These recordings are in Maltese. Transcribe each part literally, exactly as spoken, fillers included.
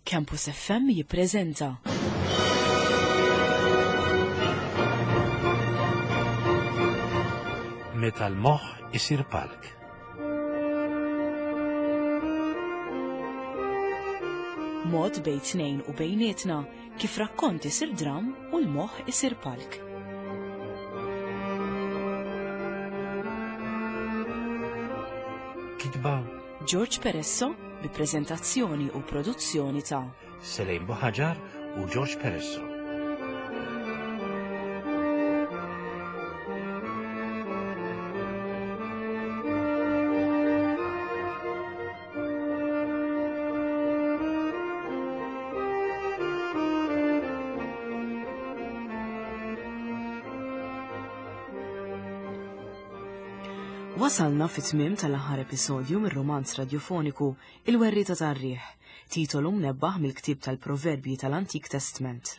Campus F M jippreżenta Meta l-moħħ isir palk. Mod bejn tnejn u bejnietna kif rakkont isir dram u l-moħħ isir palk. Kitba George Peresso bi preżentazzjoni u produzzjoni ta' Selejn Buħaġar u George Peresso. Wasalna fit-tmiem tal-aħħar episodju mir-romanz radiofoniku Il-Werrieta tar-Riħ, titolu mnebbaħ mill-ktieb tal-Proverbji tal-Antik Testament.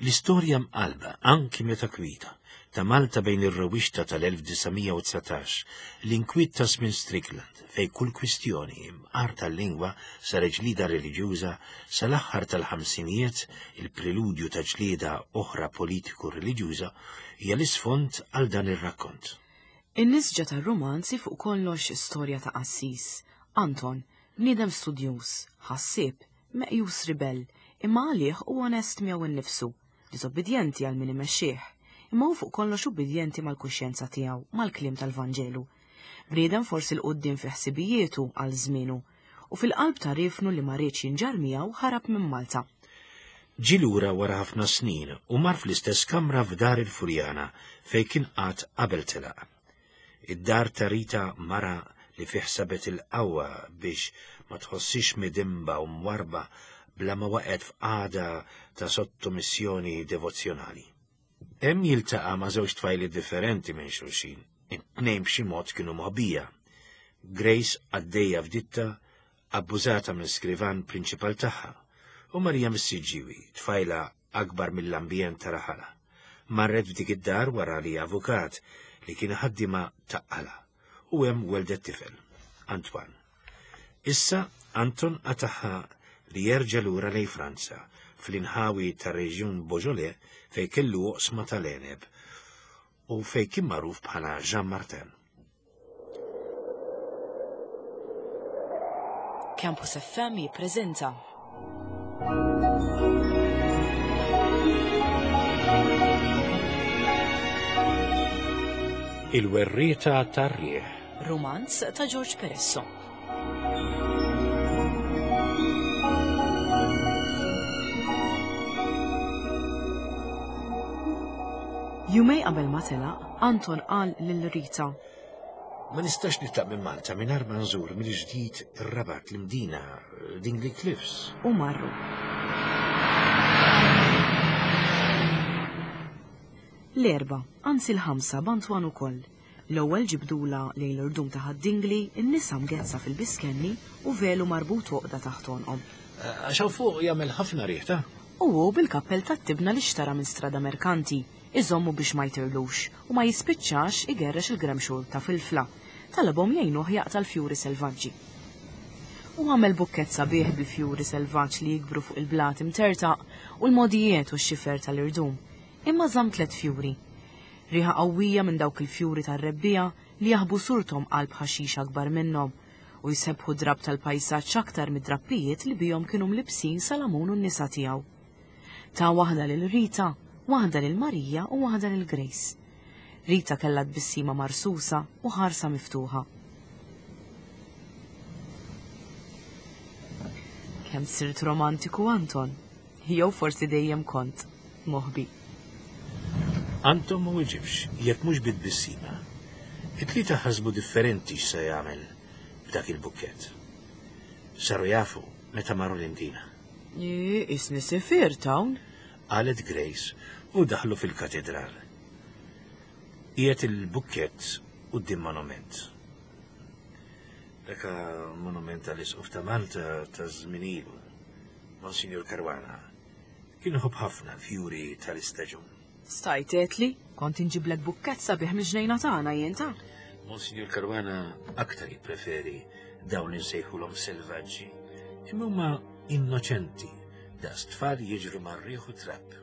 L-istorja mqalba, anki meta kwita, ta' Malta bejn ir-rewwixta tal-elf disa' mija u dsatax, l-inkwiet ta' żmien Strickland, fej kull kwistjoni imqar tal-lingwa saret ġlieda reliġjuża sal-aħħar tal-ħamsinijiet, il-preludju ta' ġlieda oħra politiku-reliġjuża hija l-isfond għal dan ir-rakkont. In-nisġa tar-romanzi fuq kollox storja ta' qassis, Anton, bniedem studjuż, ħassieb, meqjus ribell, imma għalih u onest miegħu innifsu, disobbidjenti għal min imexxih, imma hu fuq kollox ubbidjenti mal-kuxjenza tiegħu, mal-kliem tal-Vanġelu. Bniedem forsi l-quddiem fi ħsibijietu għal żmienu, u fil-qalb ta' rifnu li ma riedx jinġar miegħu ħarab minn Malta. Ġie lura wara ħafna snin u mar fl-istess kamra f'dar il-Furjana fejn kien qatt qabel telaq. Id-dar ta' Rita mara li fih sabet il-qawwa biex ma tħossix midimba u mwarba bla ma waqgħet f'qagħda ta' sottomissjoni devozzjonali. Hemm jiltaqa' ma' żewġ tfajli differenti minn xulxin, it-tnejn b'xi mod kienu moħbija. Grace għaddejja f'ditta, abbużata minn skrivan prinċipal tagħha, u Marija Missiġġiwi, tfajla akbar mill-ambjent ta' raħala. Marret f'dik id-dar wara li avukat li kien ħaddima taqqala u hemm weldet tifel, Antoine. Issa Anton qataħħa li jerġa' lura lejn Franza fl-inħawi tar-reġjun Beaujolais fejn kellu oqsma tal-għeneb u fejn kien magħruf bħala Jean Martin. Campus F M jippreżenta Il-Werrieta tar-Riħ, romanz ta' George Peresso. Jumej qabel ma telaq, Anton qal lil Rita: Ma nistax nitlaq minn Malta mingħajr ma nżur mill-ġdid ir-Rabat, l-Imdina, Dingli Cliffs. U marru. L-erba, anzi l-ħamsa b'Antoine ukoll. L-ewwel ġibdula lejn l-irdum ta' Ħad-Dingli, in-nisa mgezza fil-biskenni u velu marbut għoqda taħt għonqhom. Għax hawn fuq jagħmel ħafna riħ, ta'? U hu bil-kappell tat-tibna li xtara minn strada merkanti, iżommu biex ma jtirlux u ma jispiċċax igerrex il-gremxul ta' filfla. Talabhom jgħinuh jaqta' l-fjuri selvaġġi. U għamel bukkett sabiħ bil-fjuri selvaġġ li jikbru fuq il-blat imtertaq u l-modijiet u x-xifer tal-irdum. Imma żamm tliet fjuri. Riħa qawwija minn dawk il-fjuri tar-rebbija li jaħbu surthom qalb ħaxix akbar minnhom u jsebħu drab tal-pajsaġġ aktar mid-drappijiet li bihom kienu mlibsin Salamun u n-nisa tiegħu. Ta' waħda lil Rita, waħda lil Marija u waħda lil Grace. Rita kellha tbissima marsusa u ħarsa miftuħa. Kemm sirt romantiku, Anton? Jew forsi dejjem kont moħbi. Anton ma weġibx, jekk mhux bit-tbissima. It-tlieta ħasbu differenti x'se jagħmel b'dak il-bukkett. Saru jafu meta marru l-Imdina. Ii, isni sifir hawn, qalet Grace u daħlu fil-katedral. Qiegħed il-bukkett quddiem monument. Dak monument tal-Isqof ta' Malta ta' żmien ilu, Monsignor Caruana, kien iħobb ħafna l-fjuri tal-istaġun. Stajt għedtli, kont inġiblek bukkett sabiħ mill-ġnejna tagħna jien ta'. Monsignor Caruana aktar jippreferi dawn li nsejħulhom selvaġġi, imma huma Innoċenti, daqs tfal jiġru mar-riħ u trab.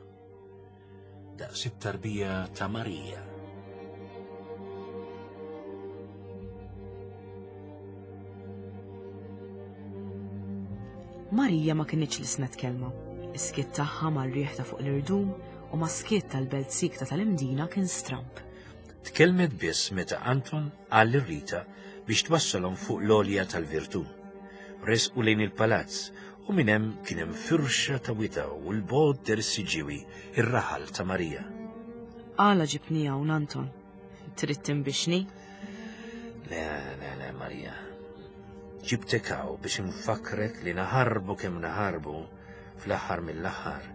Daqs it-tarbija ta' Marija. Marija ma kinitx lisnet kelma. Is-skiet tagħha mar-riħ ta' fuq l-irdum u ma' skiet tal-belt sikta tal-Imdina kien stramb. Tkellmet biss meta Anton qal lil Rita biex twassalhom fuq l-għolja tal-Virtù. Resqu lejn il-palazz u minn hemm kien hemm firxa ta' wita u l-bogħod der is-Siġġiewi, ir-raħal ta' Marija. Għala ġibni hawn, Anton? Trid tinbixni? Le, le, le, Marija. Ġibtek hawn biex infakrek li naħarbu kemm naħarbu fl-aħħar mill-aħħar.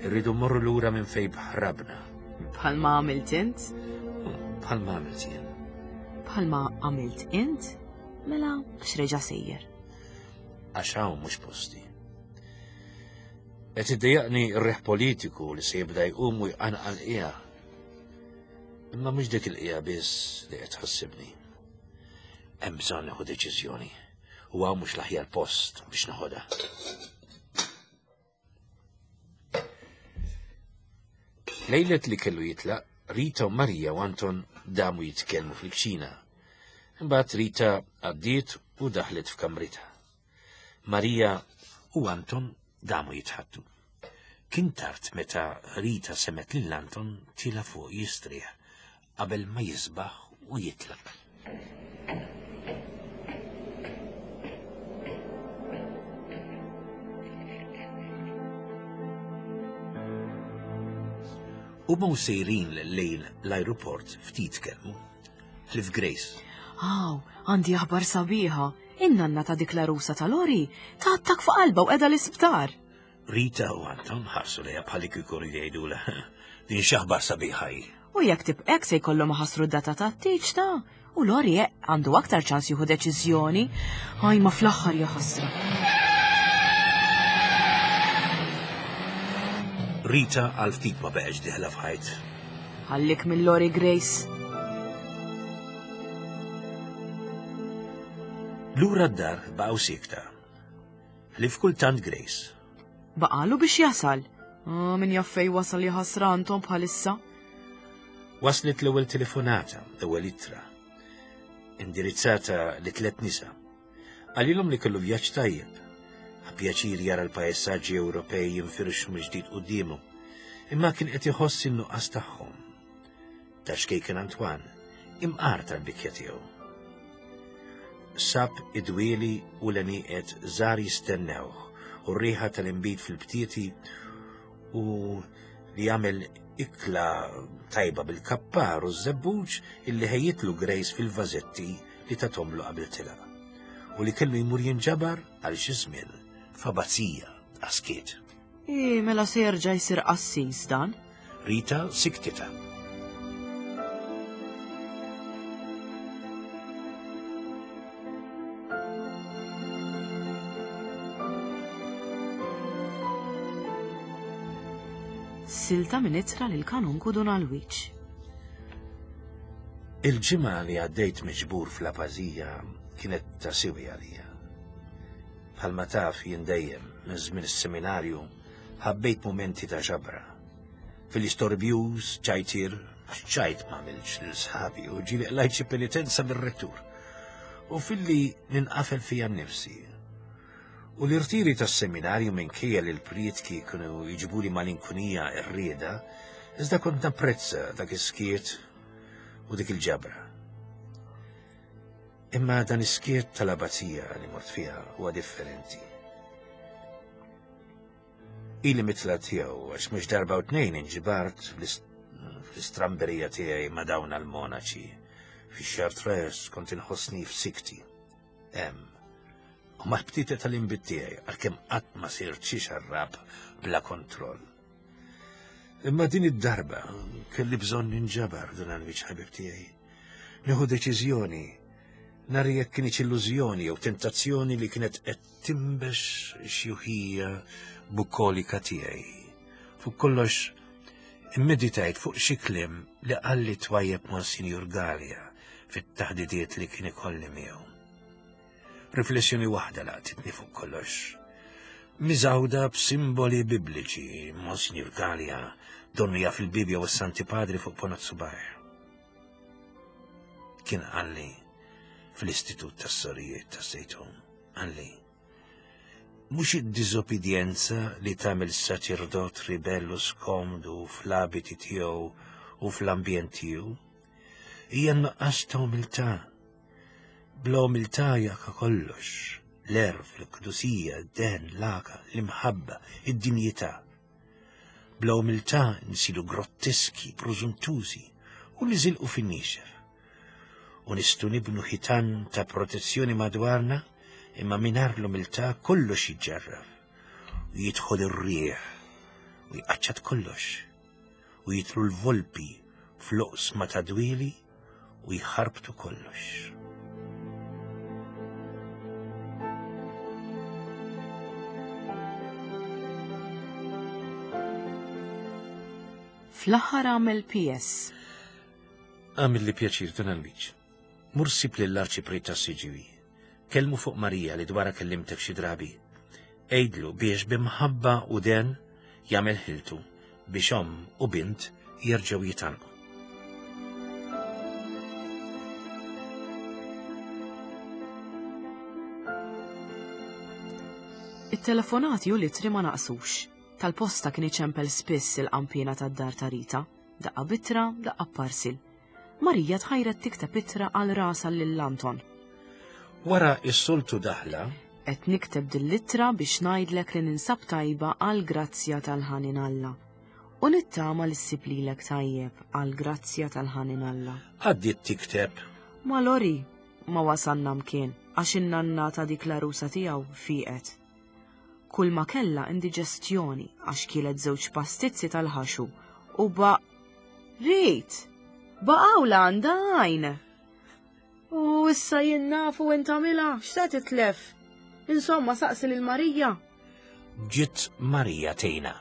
Irridu mmorru lura minn fejn ħrabna. Bħalma għamilt int? Bħalma għamilt jien. Bħalma għamilt int? Mela, x'reġa' sejjer? Għax hawn mhux posti. Qed iddejjaqni r-riħ politiku li se jibda jqum u jqanqal qiegħa. Imma mhux dik il-qiegħa biss li qed tħassibni. Hemm bżonn nieħu deċiżjoni u hawn mhux l-aħjar post biex neħodha. Lejlet li kellu jitlaq, Rita u Marija u Anton damu jitkellmu fil-kċina. Imbagħad Rita għaddiet u daħlet f'kamritha. Marija u Anton damu jitħattu. Kien tard meta Rita semet lil Anton tila fuq jistrieħ qabel ma jisbaħ u jitlaq. U ma sejrin lejn l-aeroport ftit kelmu. Ħlief Grace. Aw, għandi aħbar sabiħa. In-nanna ta' dik l-għarusa tal-Ori ta' attakk fuq qalba u qiegħda l-isptar. Rita u Anton ħarsu lejha bħal kieku jgħidulha din x'aħbar sabiħa hi. U jekk tibqek se jkollhom iħassru d-data tat-tieġ ta' u Lori għandu aktar ċans jieħu deċiżjoni. Aj, ma fl-aħħar jaħasra. Rita għal ftit ma beqgħetx diħla f'ħajt. Ħallik minn Lori, Grace. Lura d-dar baqgħu sikta. Ħlief kultant Grace. Baqalu biex jasal. Ah, min jaf fejn wasal jaħasra Anton bħalissa. Waslet l-ewwel telefonata, l-ewwel ittra, indirizzata li tliet nisa. Qalilhom li kellu vjaġġ tajjeb. Ħa pjaċir jara l-pajsaġġi Ewropej jinfirxu mill-ġdid quddiemu, imma kien qed iħoss in-nuqqas tagħhom. Ta' xkejken Antoine, imqar tal-bikja tiegħu. Sab id-dwieli u l-għenieqed żgħar jistennewh u r-riħa tal-inbid fil-btieti u li jagħmel ikla tajba bil-kappar u ż-żebbuġ illi ħejjitlu Grace fil-vażetti li tatomlu qabel tilaq u li kellu jmur jinġabar għal xi żmien f'abbazija għaskiet. I, mela se jerġa' jsir qassis dan? Rita siktita. Silta minn ittra lil kanunku Dun Alwiċ. Il-ġimgħa li għaddejt miġbur fl-abbazija kienet ta' siwi għalija. Bħalma taf jien dejjem minn żmien is-seminarju ħabbejt mumenti ta' ġabra. Fil-istorbjuż, ċajtir, ċajt ma għamilx lil sħabi u ġieli qlajt xi penitenza mir-rettur. U filli ninqafel fija nnifsi. U l-irtiri tas-seminarju minkejja li l-prietki kienu jiġbuli malinkunija r-rieda, iżda kont napprezza dak is-skiet u dik il-ġabra. Imma dan is-skiet tal-abbazija li mort fiha huwa differenti. Ili mitla tiegħu għax mhux darba u tnejn inġibart fl-istramberija tiegħi ma' dawn għall-monaċi. Fix-Chartreuse kont inħossni f'sikti. Hemm. U mal-btita tal-inbid tiegħi għalkemm qatt ma sirt xi xarrab bla kontroll. Imma din id-darba kelli bżonn ninġabar dan għal-wiċċ ħabib tiegħi. Nieħu deċiżjoni nhar jekk kienx illużjoni jew tentazzjoni li kienet qed timbex xjuħija bukolika tiegħi. Fuq kollox immeditajt fuq xi kliem li qalli twajjeb Monsinjur Galea fit-taħdidiet li kien ikolli miegħu. Riflessjoni waħda laqtitni fuq kollox. Miżgħuda b'simboli bibliċi, Monsignor Gallia, donnu jaf il-Bibja u s-Santi Padri fuq ponot subajh. Kien qalli fl-Istitut tas-Sorijiet tas-Sejtun, qalli, mhux id-diżobbidjenza li tagħmel saċerdot ribellu skomdu fl-abiti tiegħu u fl-ambjent tiegħu, hija n-nuqqas ta' umiltà. Bla umiltà jaka kollox, l-erf, l-qdusija, d-den, l-għaka, l-imħabba, id-dinjità. Bla umiltà nsiru grotteski, prożuntużi u niżilqu fin-niexef. U nistgħu nibnu ħitan ta' protezzjoni madwarna, imma mingħajr l-umiltà kollox jiġġarraf u jidħol ir-riħ u jqaċċat kollox u jitlu l-volpi fl-oqsma ta' dwieli u jħarbtu kollox. Fl-aħħar għamel P S. Għamil li pjaċir Dun Alwiġ. Mur sib lill-arċipriet tas-Siġġiewi. Kellmu fuq Marija li dwarha kellimtek xi drabi. Għidlu biex bimħabba u den jagħmel ħiltu biex omm u bint jerġgħu jitgħallqu. It-telefonati u l-ittri ma naqsux. Tal-posta kien iċempel spiss il-qampina tad-dar ta' Rita, daqqa bitra, daqqa parsil. Marija tħajret tikteb ittra għal rasha lil Anton. Wara s-soltu daħla, Qed nikteb din l-ittra biex ngħidlek li ninsab tajba għal grazzja tal-ħanin Alla. U nittama li ssib lilek tajjeb għal grazzja tal-ħanin Alla. Għaddiet tikteb. Ma Lori, ma wasalna mkien għax in-nanna ta' dik l-għarusa tiegħu fieqet. Kull ma kellha indiġestjoni għax kielet żewġ pastizzi tal-ħaxu u ba Rit! Baqgħu la għandha għajn. U issa jien nafu int tagħmilha, x'se titlef? Insomma, saqsi lil Marija. Ġiet Marija tgħinha.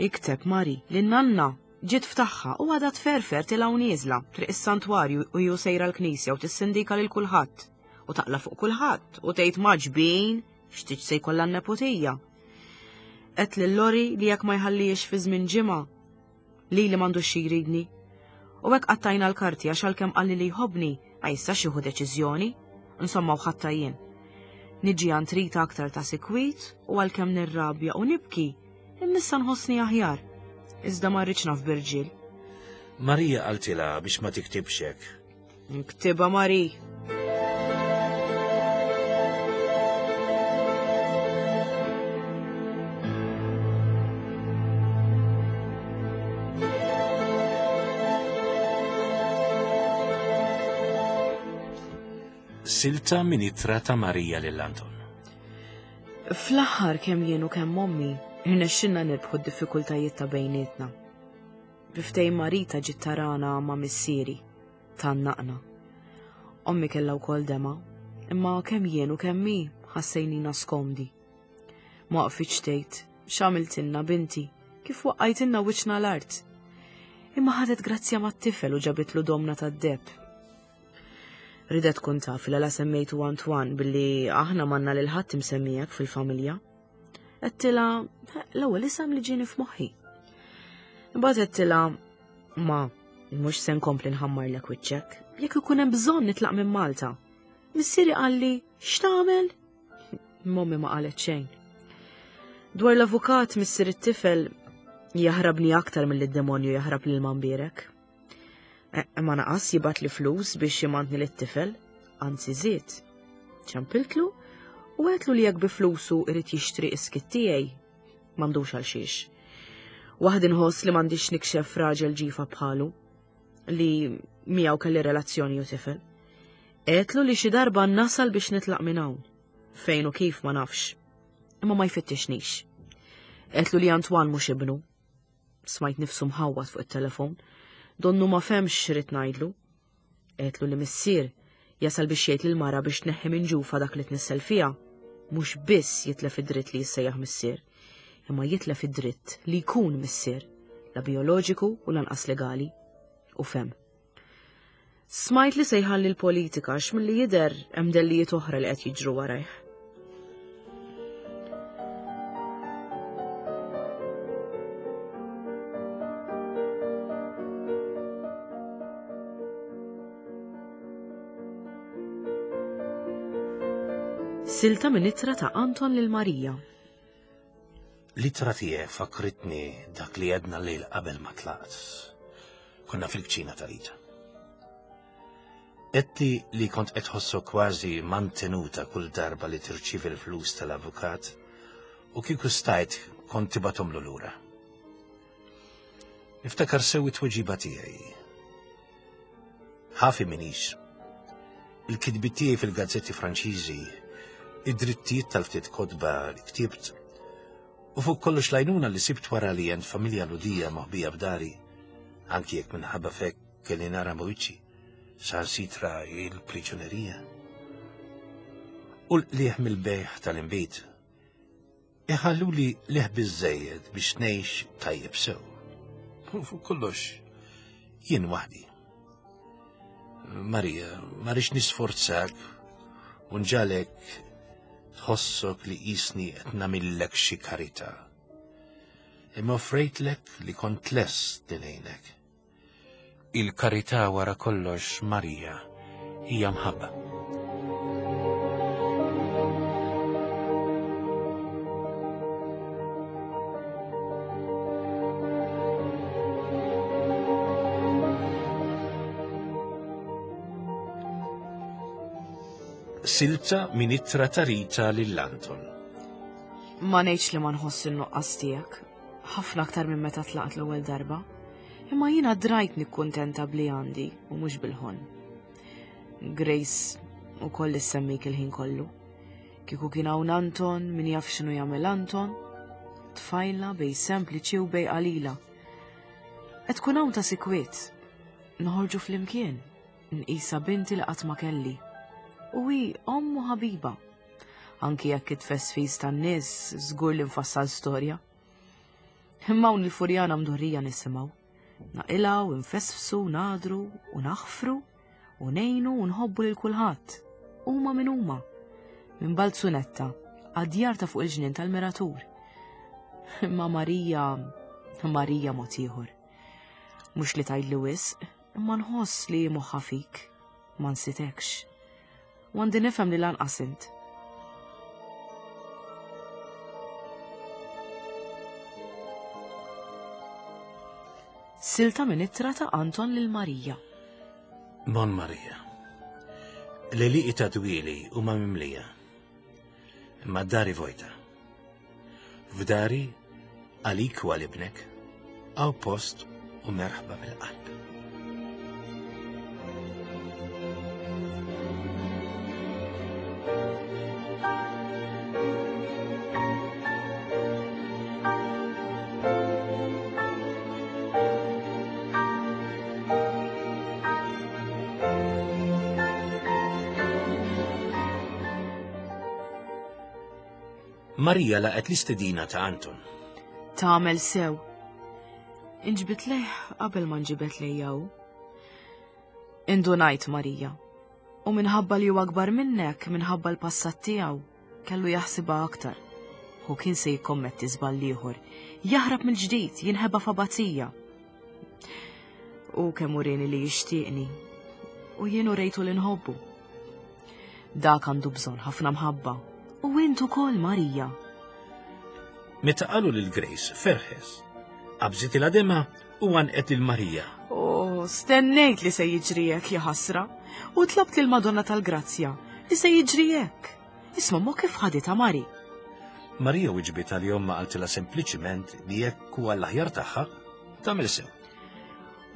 Ikteb Mari li nanna ġiet ftaħħa u għadha tferfer tilgħu nieżla triq is-santwarju u ju sejra l-knisja u tissindika lil kulħadd u taqla fuq kulħadd u tgħid maġbin x'tiġ se jkollha n-neputija. Qed lil Lori li jekk ma jħallix fi żmien ġimgħa li li m'għandux xi jridni. U hekk qattajna l-karti għax għalkemm qalli li jħobbni ma jistax jieħu deċiżjoni, insomma u ħatta jien. Niġi għand Rita aktar ta' sikwit u għalkemm nirrabja u nibki, imissa nħossni aħjar. Iżda ma rridx naf b'irġiel. Marija qaltilha biex ma tiktibx hekk. Nktibha Mari. Silta minn ittra ta' Marija lil Anton. Fl-aħħar kemm jien u kemm ommi irnexxinna nirbħu d-diffikultajiet ta' bejnietna. Biftej Marita ġiet tarana ma' missieri, tannaqna. Ommi kellha wkoll dema, imma kemm jien u kemm hi ħassejnina skomdi. Ma waqfitx tgħid x'għamiltilna binti, kif waqqajtilna wiċċna l-art. Imma ħadet grazzja mat-tifel u ġabitlu domna tad-deb. Ridet tkun taf li la semmejtu Antoine billi aħna manna lil ħadd imsemmijek fil-familja. Għedtilha l-ewwel isem li ġieni f'moħħi. Imbagħad għedtilha ma mhux se nkompli nħammarlek wiċċek, jekk ikun hemm bżonn nitlaq minn Malta. Missieri qalli x'tagħmel? Mommi ma qalet xejn. Dwar l-avukat missier it-tifel jaħrabni aktar milli d-demonju jaħrab lil Mambierek. E, ma naqas jibgħat li flus biex jimantni lit-tifel, anzi żied. Ċempiltlu u għedtlu li jekk bi flusu irid jixtri iskit tiegħi, m'għandux għal xiex. Waħdi nħoss li m'għandix nikxef raġel ġifa bħalu li miegħu kelli relazzjoni u tifel. Għedtlu li xi darba nasal biex nitlaq minn hawn, fejn u kif ma nafx, imma ma jfittixnix. Għedtlu li Antoine mhux ibnu. Smajt nifsu mħawwad fuq it-telefon. Donnu ma femx x'rid ngħidlu. Għedtlu li missier jasal biex jgħid lil mara biex tneħħi minn ġufa dak li tnissel fiha, mhux biss jitlef id-dritt li jissejjaħ missier, imma jitlef id-dritt li jkun missier, la bioloġiku u lanqas legali. U fem. Smajt li se jħalli l-politika għax milli jidher hemm dellijiet oħra li qed jiġru warajh. Silta minn ittra ta' Anton lil Marija. L-ittra tiegħek fakritni dak li għedna lejl qabel ma tlaqt. Konna fil-kċina ta' Rita. Għedtli li kont qed tħossok kważi mantenuta kull darba li tirċievi l-flus tal-avukat u kieku stajt kont tibgħathomlu lura. Niftakar sew it-tweġiba tiegħi. Ħafi minix. Il-kitbiet tiegħi fil-gazzetti Franċiżi, id-drittijiet tal-ftit kotba li ktibt, u fuq kollox l-għajnuna li sibt wara li għand familja Lhudija moħbija f'dari, anki jekk minħabba fek kelli nara mwiċċi, saħansitra il-priġunerija. U l-qliħ mill-bejħ tal-inbid, iħalluli leħ biżżejjed biex ngħix tajjeb sew. U fuq kollox, jien waħdi. Marija, ma rridx nisforzak u nġalek tħossok li qisni qed nagħmillek xi karità. Imma offrejtlek li kont lest li ngħinek. Il-karità wara kollox, Marija, hija mħabba. Silta minn ittra ta' Rita lil Anton. Ma ngħidx li ma nħoss in-nuqqas tiegħek, ħafna aktar minn meta tlaqt l-ewwel darba. Imma jiena drajt nikkuntenta bli għandi u mhux bil-ħon. Grace ukoll issemmik il-ħin kollu. Kieku kien hawn Anton, min jaf x'inhu jagħmel Anton. Tfajla bej sempliċi u bej qalila. Qed tkun hawn ta' sikwiet. Noħorġu flimkien, nqisa binti li qatt ma kelli. U hi omm u ħabiba. Anki jekk it-tfesfis tan-nies żgur li nfassal storja. Imma hawn il-Furjana mdorrija nisimgħu. Naqilgħu, nfesfsu, nadru u naħfru u ngħinu u nħobbu lil kulħadd. Huma min huma. Minn Balzunetta għad-djar ta' fuq il-ġnien tal-Miratur. Imma Marija, Marija mod ieħor. Mhux li tgħidli wisq, imma nħoss li moħħha fik, ma nsitekx. U għandi nifhem li lanqas int. Silta minn ittra ta' Anton lil Marija. Bon Marija, l-għelieqi ta' dwieli huma mimlija, imma d-dari vojta. F'dari għalik u għal ibnek, hawn post u merħba mill-qalb. Marija laqgħet l-istedina ta' Anton. Tagħmel sew. Inġbit lejh qabel ma nġibet lejja hu. Indunajt Marija. U minħabba li huwa akbar minnek, minħabba l-passat tiegħu, kellu jaħsibha aktar. Hu kien se jikkommetti żball ieħor, jaħrab mill-ġdid, jinħeba f'abbazija. U kemm urini li jixtieqni, u jien urejtu li nħobbu. Dak għandu bżonn ħafna mħabba. U int ukoll, Marija. Meta qalu lil Grace ferħes, qabżit il-għadema u għanqet lil Marija. Oh, stennejt li se jiġri hekk, ja ħasra, u tlabt lil Madonna tal-Grazzja li se jiġri hekk. Isma' mo kif ħaditha Mari. Marija wiġbitha li ommha qaltilha sempliċiment li jekk huwa l-aħjar tagħha, tagħmel sew.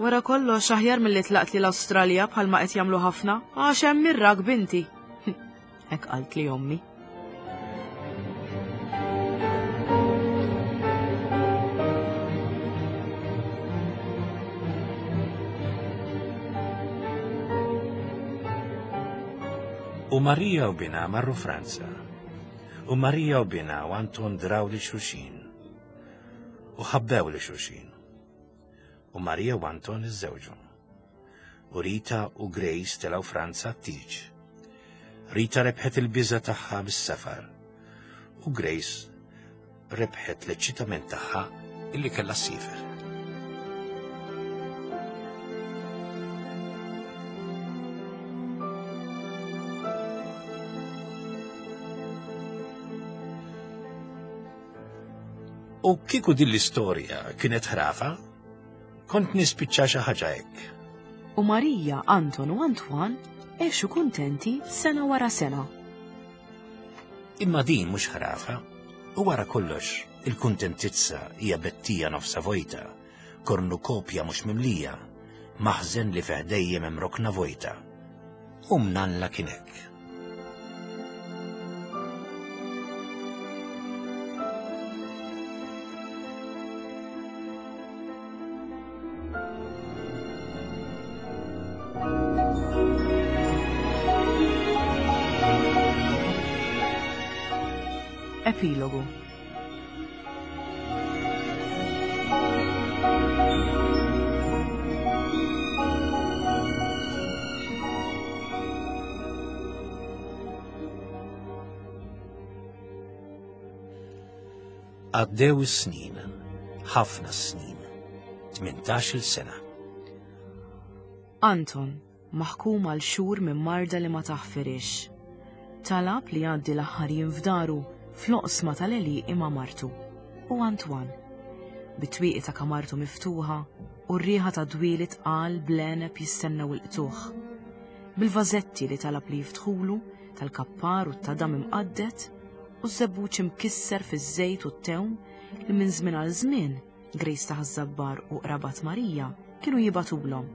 Wara kollox aħjar milli tlaqt li l-Awstralja bħalma qed jagħmlu ħafna, għax hemm irrak binti. Hekk qalt li ommi. U Marija u binha marru Franza. U Marija u binha u Anton draw li xulxin. U ħabbew li xulxin. U Marija u Anton iżżewġu. U Rita u Grace telgħu Franza t-tieġ. Rita rebħet il-biża tagħha bis-safar. U Grace rebħet l-eċċitament tagħha illi kellha ssifer. U kieku din l-istorja kienet ħrafa, kont nispiċċa xi ħaġa hekk. U Marija, Anton u Antoine għexu kuntenti sena wara sena. Imma din mhux ħrafa, u wara kollox il-kuntentizza hija bettija nofsa vojta, kornukopja mhux mimlija, maħżen li fih dejjem hemm rokna vojta. U mnalla kien hekk. Epilogu. Għaddew is-snin, ħafna snin, tmintax-il sena. Anton, maħkum għal xhur minn marda li ma taħfirix, talab li jgħaddi l-aħħar jiem f'daru fl-oqsma tal-għelieqi ma' martu u Antoine. Bit-twieqi ta' kamartu miftuħa u r-riħa ta' dwieli tqal bl-għeneb jistennew il-qtuħ. Bil-vażetti li talab li jiftħulu tal-kappar u t-tadam imqaddet u z-żebbuġ imkisser fiż-żejt u t-tewm li minn żmien għal żmien Grace ta' Ħaż-Żabbar u qrabat Marija kienu jibatulhom.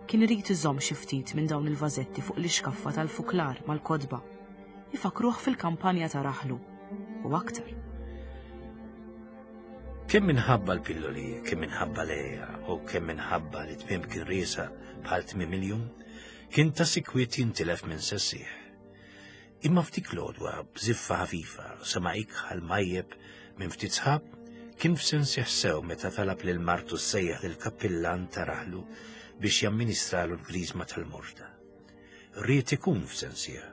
Kien irid iżomm xi ftit minn dawn il-vażetti fuq l-ixkaffa tal-fuklar mal-kotba. Ifakruh fil-kampanja ta' raħlu u aktar. Kemm minħabba l-pilloli, kemm minħabba l-għeja u kemm minħabba li tmiem kien riesaq bħal tmiem il-jum, kien ta' sikwit jintilef minn sessieħ. Imma ftit l-għodwa b'żiffa ħafifa sama ikħal majjeb minn ftit sħab, kien f'sensih sew meta talab lil martu ssejjaħ lill-kappillan ta' raħlu biex jamministralu l-griżma tal-morda. Ried ikun f'sensih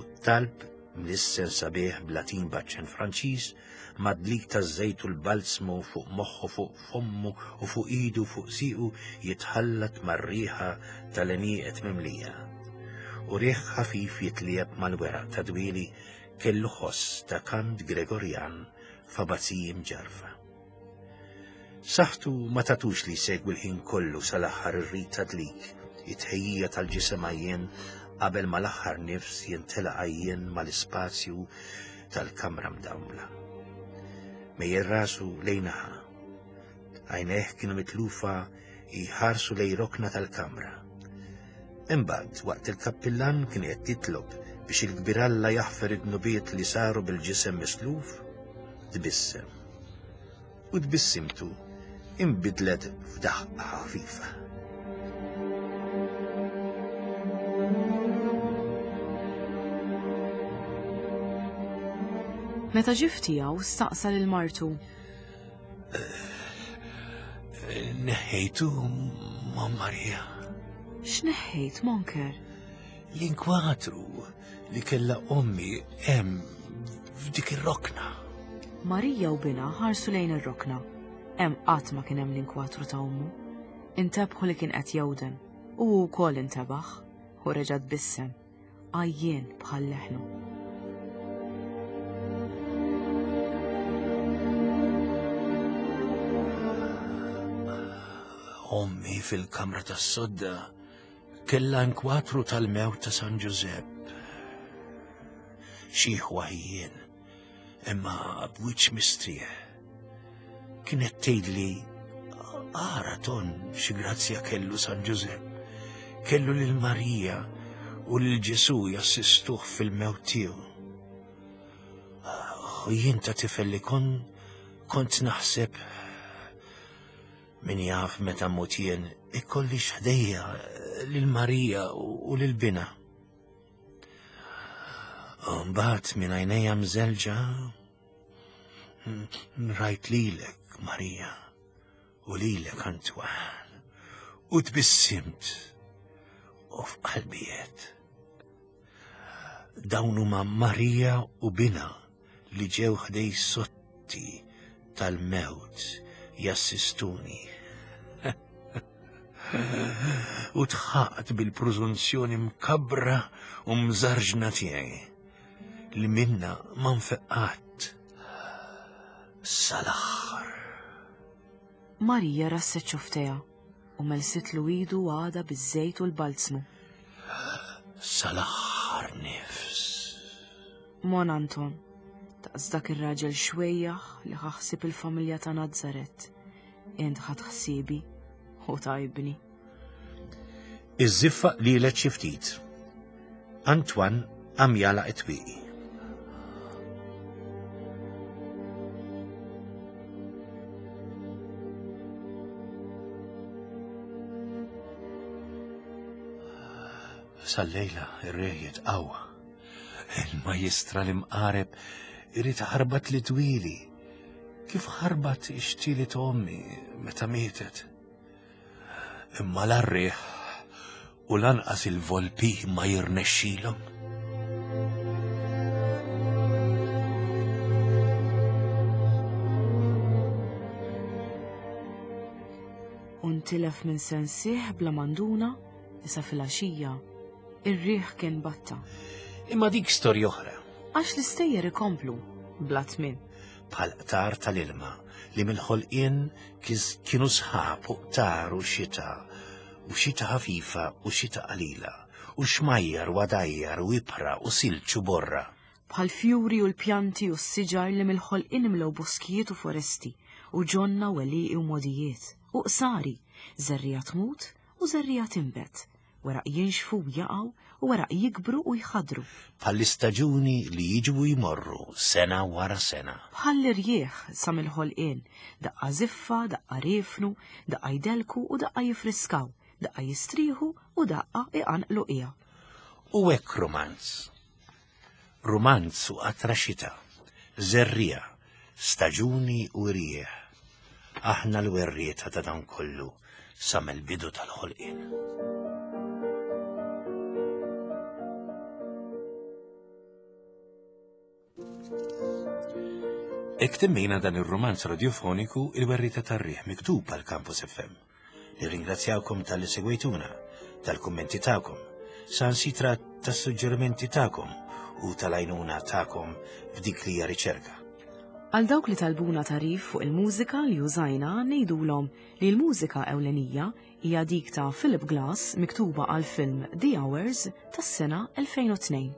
u t-talb mlissen sabiħ b'Latin b'aċċent Franċiż, madlik taż-żejt u l-balsmu fuq moħħu, fuq fommu u fuq idu fuq siequ jitħallat mar-riħa tal-għenieqed mimlija. U riħ ħafif jitlieb mal-weraq ta' dwieli kellu ħoss ta' kant Gregorjan f'abazziji mġarfa. Saħtu ma tatux li jsegwi l-ħin kollu sal-aħħar ir-rit ta' dlik, it-tħejjija tal-ġisem għajjen qabel ma l-aħħar nifs jintela għajjen mal-ispazju tal-kamra mdawla. Mejjel rasu lejnaħa. Għajnejh kienu mitlufa jħarsu lej rokna tal-kamra. Imbagħad waqt il-kappillan kien qed jitlob biex il-kbir Alla jaħfer id-dnubiet li saru bil-ġisem misluf, tbissem. U tbissimtu inbidlet f'daħqa ħafifa. Meta ġie tiegħu staqsa lil martu. Neħħejtu, ma' Marija. X'neħħejt, Monker? L-inkwatru li kellha ommi hemm f'dik ir-rokna. Marija u binha ħarsu lejn ir-rokna. Hemm qatt ma kien hemm l-inkwatru ta' ommu. Intebħu li kien qed jewden u hu wkoll intebaħ u reġa' tbissem, għajjien bħal leħnu. Ommi fil-kamra tas-sodda kellha inkwatru tal-mewt ta' San Ġużepp. Xi ħwajjien, imma b'wiċċ mistrieħ. Kienet tgħidli, ara ton xi grazzja kellu San Ġużepp. Kellu lil Marija u lil Ġesù jassistuh fil-mewt tiegħu. U jien ta' tifel li kon kont naħseb min jaf meta mmut jien ikollix ħdejja lil Marija u lil binha. Mbagħad minn għajnejja mżelġa rajt lilek Marija u lilek Antoine u tbissimt u f'qalbi għedt. Dawn huma Marija u binha li ġew ħdej sotti tal-mewt jassistuni. U tħaqt bil-preżunzjoni mkabbra u mżarġna tiegħi li minna ma nfeqqat. Sal-aħħar. Marija rasset xofftejha u melsitlu idu għada biż-żejt u l-balzmu. Sal-aħħar nifs. Mon Anton, daqs dak ir-raġel xwejjaħ li ħaħsib il-familja ta' Nazzaret. Int ħadd ħsiebi u tajbni. Iż-żiffa lilet xi ftit. Antoine qam jagħlaq it-twieqi. Sal-lejla ir-riħ jitqawwa. Il-majjistra l-imqareb irid ħarbat li twili. Kif ħarbat ix-xtieli ta' ommi meta mietet. Imma l-riħ u lanqas il-volpi ma jirnexxilhom. U ntilef minn sensih bla manduna issa filgħaxija ir-riħ kien batta. Imma dik storja oħra. Għax l-istejjer ikomplu bla tmiem. Bħal qtar tal-ilma li mill-ħolqien kienu sħab u qtar u xita u xita ħafifa u xita qalila u xmajjar u għadajjar u ibħra u silġ u borra. Bħal fjuri u l-pjanti u s-siġar li mill-ħolqien imlew boskijiet u foresti u ġonna u għelieqi u modijiet u qsari, żerriegħa tmut u żerriegħa tinbet, weraq jinxfu u jaqgħu u weraq jikbru u jħadru. Bħall-istaġuni li jiġu u jmorru sena wara sena. Bħall-irjieħ sa mill-ħolqien, daqqa żiffa, daqqa riefnu, daqqa jdelku u daqqa jifriskaw, daqqa jistrieħu u daqqa iqanqlu qiegħa. U hekk romanz. Romanz u qatra xita, żerriegħa, staġuni u rieħ. Aħna l-werrieta ta' dan kollu sa mill-bidu tal-ħolqien. Hekk temmejna dan ir-romanz radiofoniku Il-Werrieta tar-Riħ miktub għal Campus F M. Nirringrazzjawkom tal-li segwejtuna, tal-kummenti tagħkom, sansitra tas-suġġerimenti tagħkom u tal-għajnuna tagħkom f'dik li hija riċerka. Għal dawk li talbuna tarif fuq il-mużika li użajna ngħidulhom li l-mużika ewlenija hija dik ta' Philip Glass miktuba għal film The Hours tas-sena elfejn u tnejn.